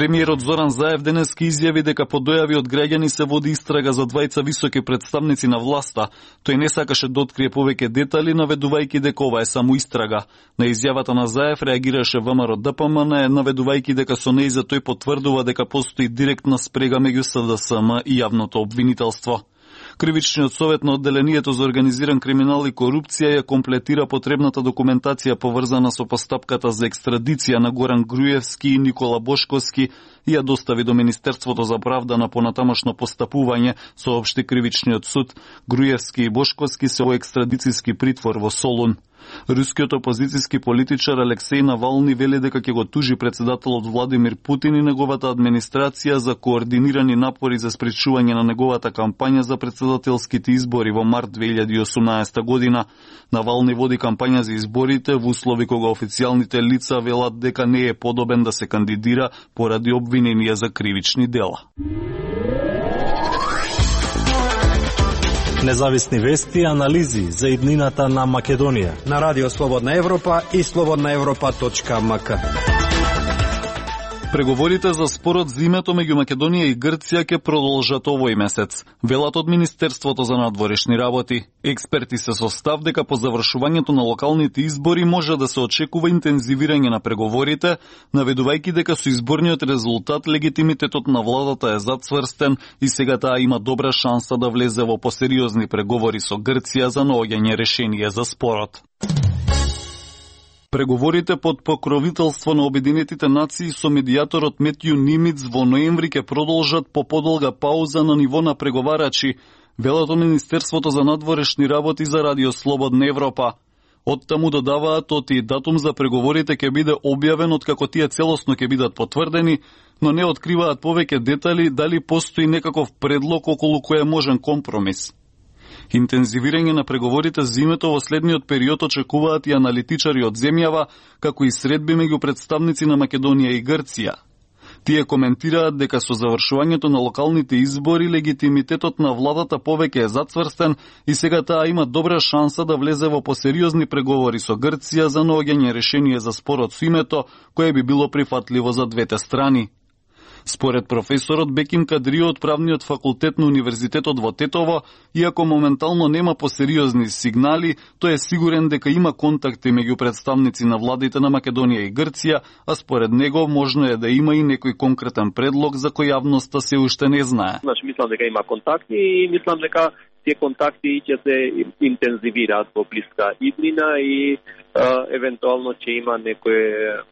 Премиерот Зоран Заев денеска изјави дека по дојави од граѓани се води истрага за двајца високи представници на власта. Тој не сакаше да открие повеќе детали, наведувајќи дека ова е само истрага. На изјавата на Заев реагираше ВМРО ДПМН, наведувајќи дека со нејза тој потврдува дека постои директна спрега меѓу СДСМ и јавното обвинителство. Кривичниот совет на одделението за организиран криминал и корупција ја комплетира потребната документација поврзана со постапката за екстрадиција на Горан Груевски и Никола Бошковски и ја достави до Министерството за правда на понатамошно постапување, соопшти Кривичниот суд. Груевски и Бошковски се во екстрадицијски притвор во Солун. Рускиот опозицијски политичар Алексеј Навални вели дека ќе го тужи председателот Владимир Путин и неговата администрација за координирани напори за спречување на неговата кампања за председателските избори во март 2018 година. Навални води кампања за изборите во услови кога официјалните лица велат дека не е подобен да се кандидира поради обвиненија за кривични дела. Независни вести и анализи за иднината на Македонија на Радио Слободна Европа и slobodnaevropa.mk. Преговорите за спорот за името меѓу Македонија и Грција ќе продолжат овој месец, велат од Министерството за надворешни работи. Експерти се со став дека по завршувањето на локалните избори може да се очекува интензивирање на преговорите, наведувајќи дека со изборниот резултат легитимитетот на владата е зацврстен и сега таа има добра шанса да влезе во посериозни преговори со Грција за наоѓање решение за спорот. Преговорите под покровителство на Обединетите нации со медијаторот Метју Нимиц во ноември ќе продолжат по подолга пауза на ниво на преговарачи, велат од Министерството за надворешни работи за Радио Слободна Европа. Оттаму додаваат оти датум за преговорите ќе биде објавен откако тие целосно ќе бидат потврдени, но не откриваат повеќе детали дали постои некаков предлог околу кој е можен компромис. Интензивирање на преговорите за името во следниот период очекуваат и аналитичари од земјава, како и средби меѓу представници на Македонија и Грција. Тие коментираат дека со завршувањето на локалните избори легитимитетот на владата повеќе е зацврстен и сега таа има добра шанса да влезе во посериозни преговори со Грција за наоѓање решение за спорот со името, кое би било прифатливо за двете страни. Според професорот Беким Кадрио од правниот факултет на Универзитетот во Тетово, иако моментално нема посериозни сигнали, тој е сигурен дека има контакти меѓу представници на владите на Македонија и Грција, а според него можно е да има и некој конкретен предлог за кој јавноста се уште не знае. Значи, мислам дека има контакти и мислам дека тие контакти ќе се интензивираат во блиска иднина и евентуално ќе има некое